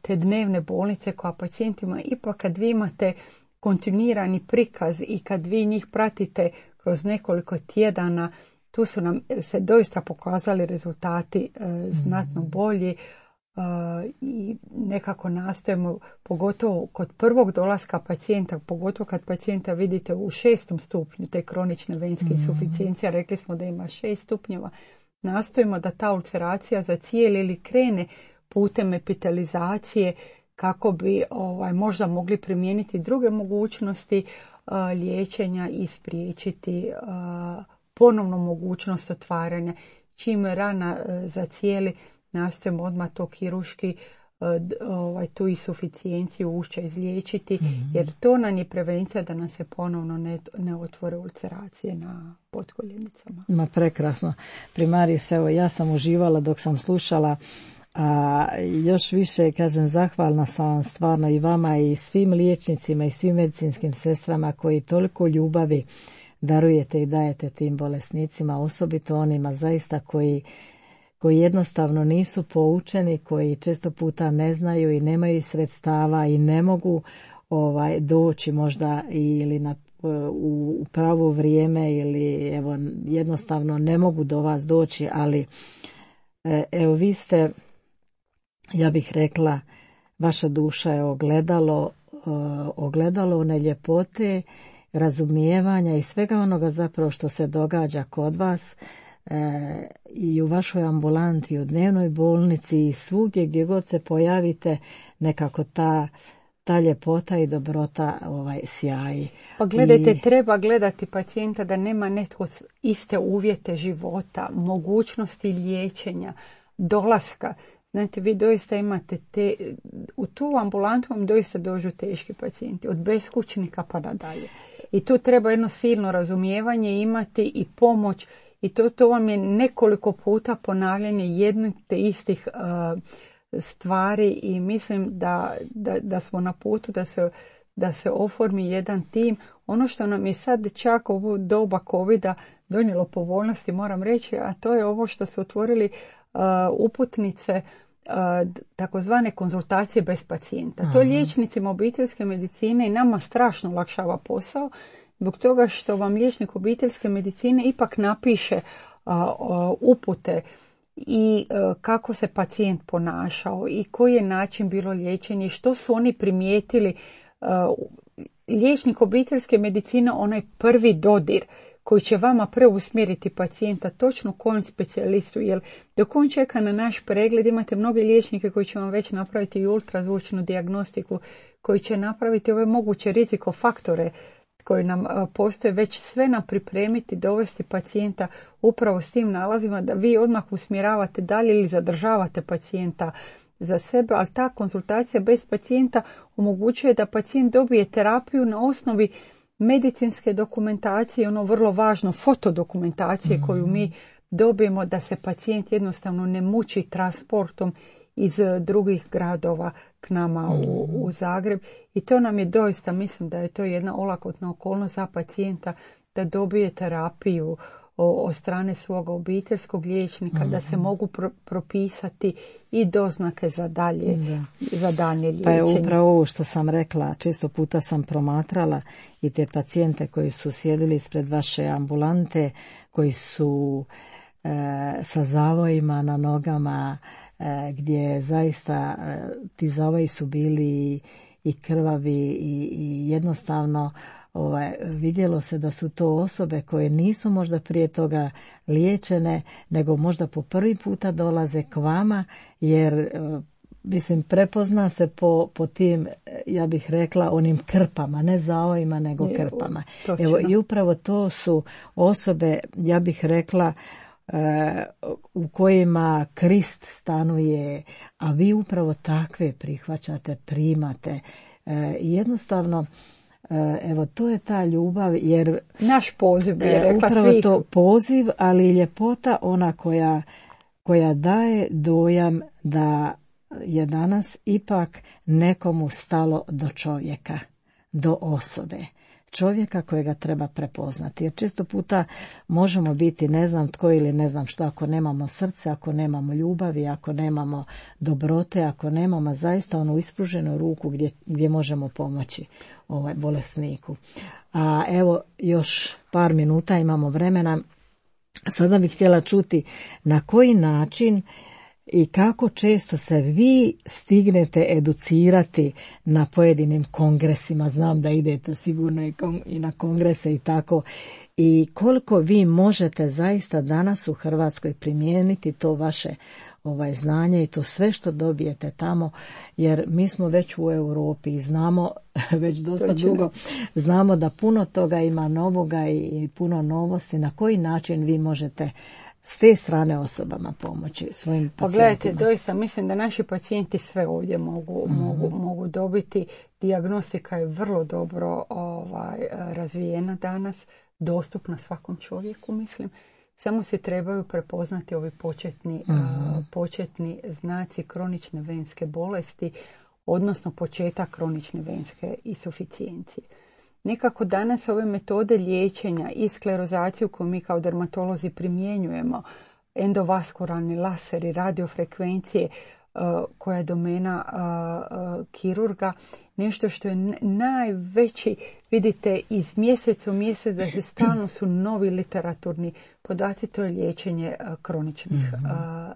te dnevne bolnice koja pacijentima, ipak kad vi imate kontinuirani prikaz i kad vi njih pratite kroz nekoliko tjedana, tu su nam se doista pokazali rezultati znatno bolji. i nekako nastojimo, pogotovo kod prvog dolaska pacijenta, pogotovo kad pacijenta vidite u 6. stupnju te kronične venske insuficijencije, rekli smo da ima 6 stupnjeva, nastojimo da ta ulceracija zacijeli ili krene putem epitelizacije kako bi možda mogli primijeniti druge mogućnosti liječenja i spriječiti ponovnu mogućnost otvaranja. Čim rana zacijeli, nastojimo odmah to kirurški tu insuficijenciju ušća izliječiti, jer to nam je prevencija da nam se ponovno ne otvore ulceracije na potkoljenicama.
Ma prekrasno. Primarius, evo ja sam uživala dok sam slušala, a još više, kažem, zahvalna sam vam stvarno i vama i svim liječnicima i svim medicinskim sestrama koji toliko ljubavi darujete i dajete tim bolesnicima, osobito onima zaista koji jednostavno nisu poučeni, koji često puta ne znaju i nemaju sredstava i ne mogu doći možda ili u pravo vrijeme ili evo jednostavno ne mogu do vas doći, ali evo vi ste, ja bih rekla, vaša duša je ogledalo one ljepote, razumijevanja i svega onoga zapravo što se događa kod vas i u vašoj ambulanti, u dnevnoj bolnici i svugdje gdje god se pojavite, nekako ta ljepota i dobrota sjaji.
Pa gledajte, treba gledati pacijenta da nema netko iste uvjete života, mogućnosti liječenja, dolaska. Znate, vi doista imate u tu ambulantu vam doista dođu teški pacijenti, od beskućnika pa nadalje. I tu treba jedno silno razumijevanje imati i pomoć. I to vam je nekoliko puta ponavljanje jednih te istih stvari i mislim da smo na putu da se oformi jedan tim. Ono što nam je sad čak u doba covida donijelo povoljnosti, moram reći, a to je ovo što su otvorili uputnice, takozvane konzultacije bez pacijenta. Aha. To liječnicima obiteljske medicine i nama strašno olakšava posao, zbog toga što vam liječnik obiteljske medicine ipak napiše upute i kako se pacijent ponašao i koji je način bilo liječenje, što su oni primijetili. Liječnik obiteljske medicine, onaj prvi dodir koji će vama preusmjeriti pacijenta točno kojem specijalistu, jer dok on čeka na naš pregled imate mnogi liječnike koji će vam već napraviti i ultrazvučnu dijagnostiku, koji će napraviti ove moguće rizikofaktore koji nam postoje, već sve nam pripremiti, dovesti pacijenta upravo s tim nalazima da vi odmah usmjeravate dalje ili zadržavate pacijenta za sebe, ali ta konzultacija bez pacijenta omogućuje da pacijent dobije terapiju na osnovi medicinske dokumentacije, ono vrlo važno fotodokumentacije koju mi dobijemo, da se pacijent jednostavno ne muči transportom iz drugih gradova k nama u Zagreb. I to nam je doista, mislim da je to jedna olakotna okolnost za pacijenta da dobije terapiju od strane svog obiteljskog liječnika, da se mogu propisati i doznake za dalje liječenje.
Pa je upravo ovo što sam rekla, često puta sam promatrala i te pacijente koji su sjedili ispred vaše ambulante, koji su sa zavojima na nogama, gdje zaista ti zavoji su bili i krvavi i jednostavno vidjelo se da su to osobe koje nisu možda prije toga liječene, nego možda po prvi puta dolaze k vama, jer mislim prepozna se po tim, ja bih rekla, onim krpama, ne zavojima nego krpama. Evo, i upravo to su osobe, ja bih rekla, u kojima Krist stanuje, a vi upravo takve prihvaćate, primate. Jednostavno, evo, to je ta ljubav, jer
naš poziv je rekla
upravo
svih.
To poziv, ali ljepota ona koja daje dojam da je danas ipak nekomu stalo do čovjeka, do osobe. Čovjeka kojega treba prepoznati. Jer često puta možemo biti ne znam tko ili ne znam što ako nemamo srce, ako nemamo ljubavi, ako nemamo dobrote, ako nemamo zaista onu ispruženu ruku gdje možemo pomoći bolesniku. A evo još par minuta imamo vremena. Sada bih htjela čuti na koji način i kako često se vi stignete educirati na pojedinim kongresima, znam da idete sigurno i na kongrese i tako, i koliko vi možete zaista danas u Hrvatskoj primijeniti to vaše znanje i to sve što dobijete tamo, jer mi smo već u Europi i znamo već dosta dugo, znamo da puno toga ima novoga i puno novosti. Na koji način vi možete s te strane osobama pomoći svojim pacijentima?
Pogledajte, doista mislim da naši pacijenti sve ovdje mogu dobiti. Dijagnostika je vrlo dobro razvijena danas, dostupna svakom čovjeku, mislim. Samo se trebaju prepoznati ovi početni znaci kronične venske bolesti, odnosno početak kronične venske insuficijencije. Nekako danas ove metode liječenja i sklerozaciju koju mi kao dermatolozi primjenjujemo, endovaskularni laseri, radiofrekvencije, koja je domena kirurga, nešto što je najveći, vidite, iz mjeseca u mjesec da stalno su novi literaturni podaci, to je liječenje kroničnih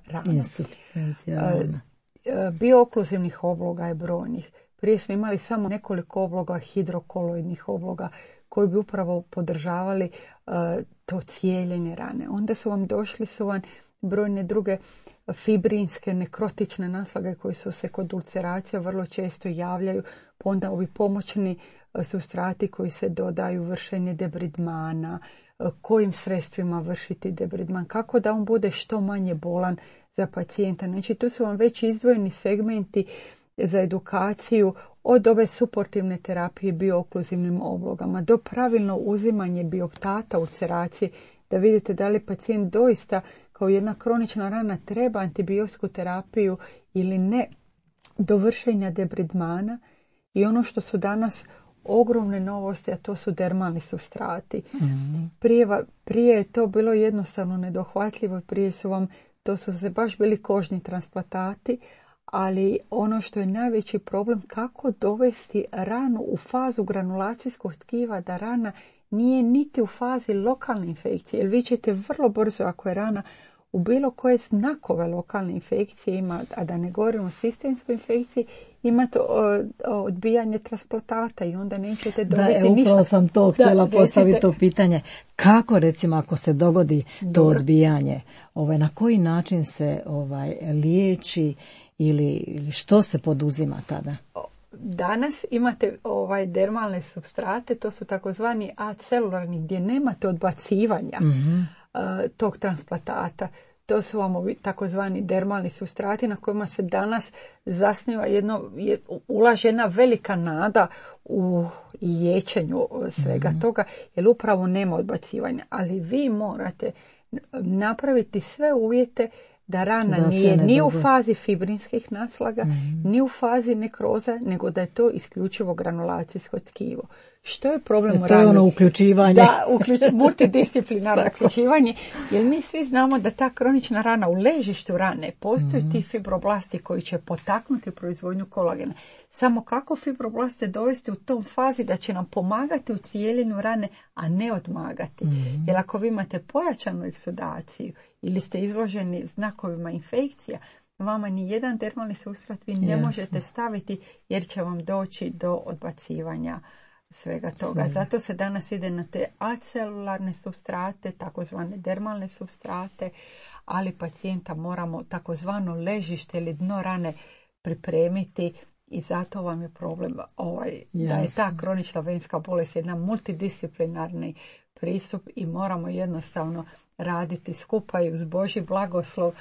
rana. Biokluzivnih obloga je brojnih. Prije smo imali samo nekoliko obloga, hidrokoloidnih obloga, koji bi upravo podržavali to cijeljenje rane. Onda su vam brojne druge fibrinske, nekrotične naslage koje su se kod ulceracija vrlo često javljaju, pa onda ovi pomoćni supstrati koji se dodaju, vršenje debridmana, kojim sredstvima vršiti debridman, kako da on bude što manje bolan za pacijenta. Znači tu su vam već izdvojeni segmenti za edukaciju od ove suportivne terapije biokluzivnim oblogama do pravilno uzimanje bioptata ulceracije, da vidite da li pacijent doista kao jedna kronična rana treba antibiotsku terapiju ili ne, do vršenja debridmana. I ono što su danas ogromne novosti, a to su dermalni supstrati. Prije je to bilo jednostavno nedohvatljivo, to su se baš bili kožni transplantati, ali ono što je najveći problem, kako dovesti ranu u fazu granulacijskog tkiva, da rana nije niti u fazi lokalne infekcije, jer vi ćete vrlo brzo, ako je rana u bilo koje znakove lokalne infekcije ima, a da ne govorimo o sistemskoj infekciji, imate odbijanje transplantata i onda nećete dobiti ništa.
Upravo sam to htjela postaviti to pitanje. Kako, recimo, ako se dogodi to odbijanje, na koji način se liječi ili što se poduzima tada?
Danas imate dermalne supstrate, to su takozvani acelularni, gdje nemate odbacivanja tog transplantata. To su vam takozvani dermalni supstrati na kojima se danas zasniva ulaže jedna velika nada u liječenju svega toga, jer upravo nema odbacivanja. Ali vi morate napraviti sve uvjete da rana nije ni u fazi fibrinskih naslaga, ni u fazi nekroza, nego da je to isključivo granulacijsko tkivo. Što je problem u rani?
To je uključivanje.
Da, multidisciplinarno uključivanje, jer mi svi znamo da ta kronična rana u ležištu rane postoje ti fibroblasti koji će potaknuti proizvodnju kolagena. Samo kako fibroblaste dovesti u tom fazi da će nam pomagati u cijeljenju rane, a ne odmagati. Jer ako vi imate pojačanu eksudaciju ili ste izloženi znakovima infekcija, vama ni jedan dermalni supstrat vi ne možete staviti, jer će vam doći do odbacivanja svega toga. Zato se danas ide na te acelularne supstrate, takozvane dermalne supstrate, ali pacijenta moramo takozvano ležište ili dno rane pripremiti. I zato vam je problem da je ta kronična venska bolest jedna multidisciplinarni pristup i moramo jednostavno raditi skupa i uz Božji blagoslov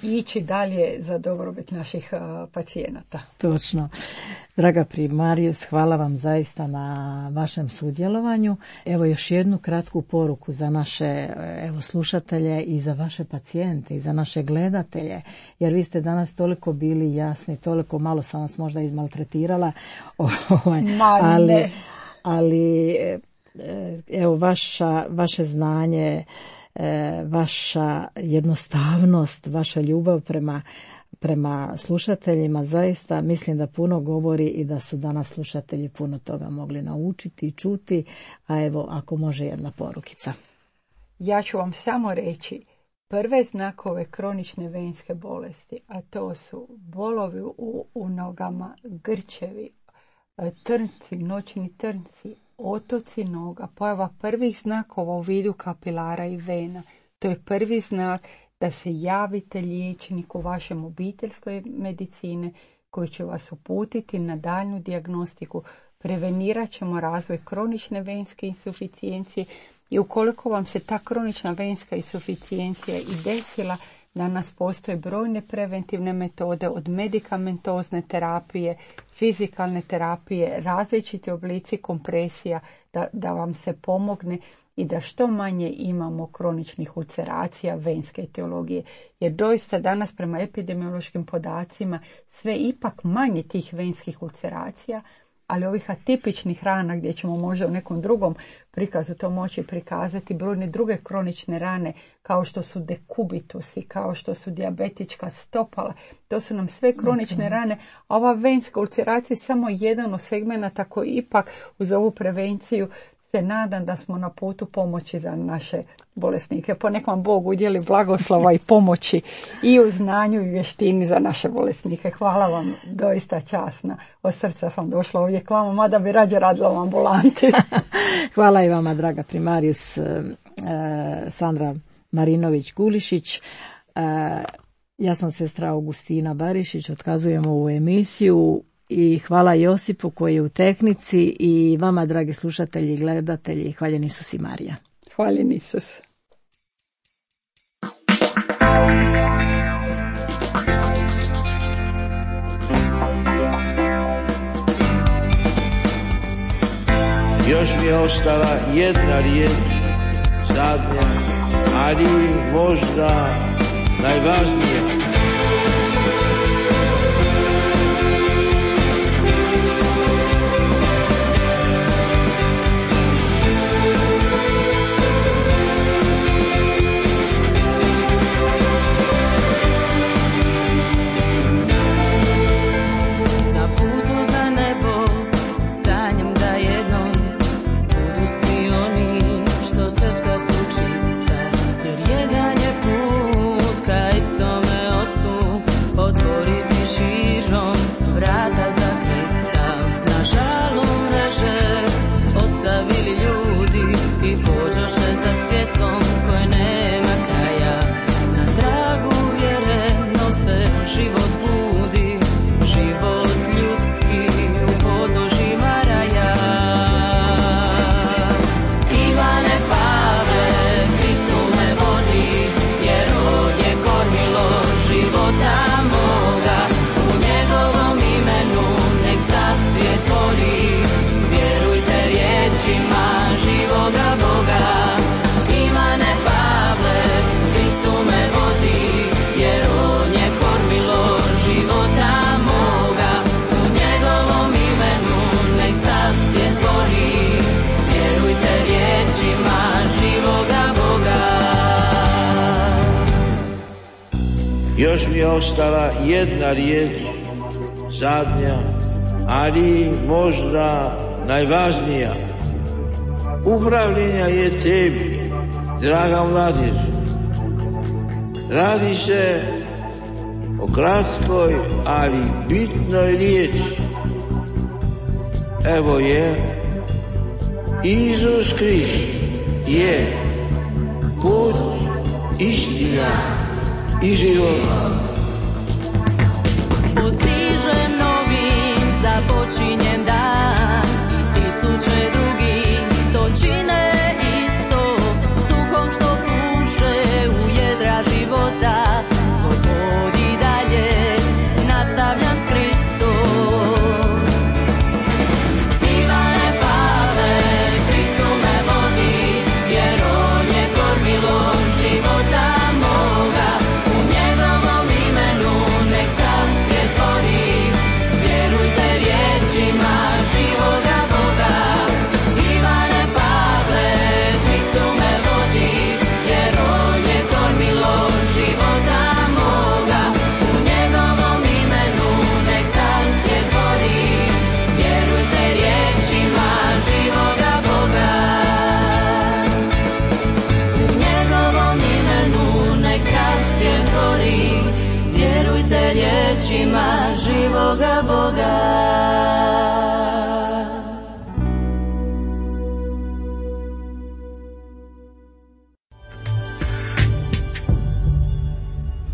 ići dalje za dobrobit naših pacijenata.
Točno. Draga primarius, hvala vam zaista na vašem sudjelovanju. Evo još jednu kratku poruku za naše slušatelje i za vaše pacijente i za naše gledatelje, jer vi ste danas toliko bili jasni, toliko malo sam vas možda izmaltretirala, ali evo vaše znanje, vaša jednostavnost, vaša ljubav prema slušateljima, zaista mislim da puno govori i da su danas slušatelji puno toga mogli naučiti i čuti, a evo ako može jedna porukica.
Ja ću vam samo reći, prve znakove kronične venske bolesti, a to su bolovi u nogama, grčevi, trnci, noćni trnci, otoci noga, pojava prvih znakova u vidu kapilara i vena. To je prvi znak da se javite liječniku vašem obiteljskoj medicine koji će vas uputiti na daljnju dijagnostiku. Prevenirat ćemo razvoj kronične venske insuficijencije i ukoliko vam se ta kronična venska insuficijencija i desila, danas postoje brojne preventivne metode od medikamentozne terapije, fizikalne terapije, različiti oblici kompresija da vam se pomogne i da što manje imamo kroničnih ulceracija venske etiologije. Jer doista danas prema epidemiološkim podacima sve ipak manje tih venskih ulceracija, ali ovih atipičnih rana gdje ćemo možda u nekom drugom prikazu to moći prikazati, brojne druge kronične rane kao što su dekubitusi, kao što su dijabetička stopala, to su nam sve kronične rane, a ova venska ulceracija je samo jedan od segmenata koji ipak uz ovu prevenciju se nadam da smo na putu pomoći za naše bolesnike. Ponek vam Bog udjeli blagoslova i pomoći i u znanju i vještini za naše bolesnike. Hvala vam, doista časna. Od srca sam došla ovdje k vama, mada bi rađe radila u ambulanti.
Hvala i vama, draga primarijus Sandra Marinović-Gulišić. Ja sam sestra Augustina Barišić, otkazujemo ovu emisiju. I hvala Josipu koji je u tehnici i vama, dragi slušatelji i gledatelji, hvaljen Isus i Marija.
Hvaljen Isus.
Još mi je ostala jedna riječ, zadnja, ali možda najvažnija. Još mi je ostala jedna riječ, zadnja, ali možda najvažnija. Upravljenja je tebi, draga mladež. Radi se o kratkoj, ali bitnoj riječi. Evo je, Isus Krist je put, istina i život.
Utiže novim započinjen dan, tisuće drugih to čine isto, s duhom što puše u jedra života, svoj put i dalje nastavljam s Kristom. Ivane Pavle, Kristu me vodi, jer on je kormilo života moga, u njegovom riječima živoga Boga.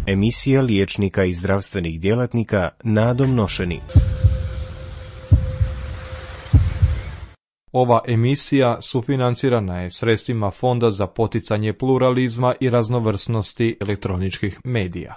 Emisija liječnika i zdravstvenih djelatnika Nadom Nošeni.
Ova emisija sufinancirana je sredstvima Fonda za poticanje pluralizma i raznovrsnosti elektroničkih medija.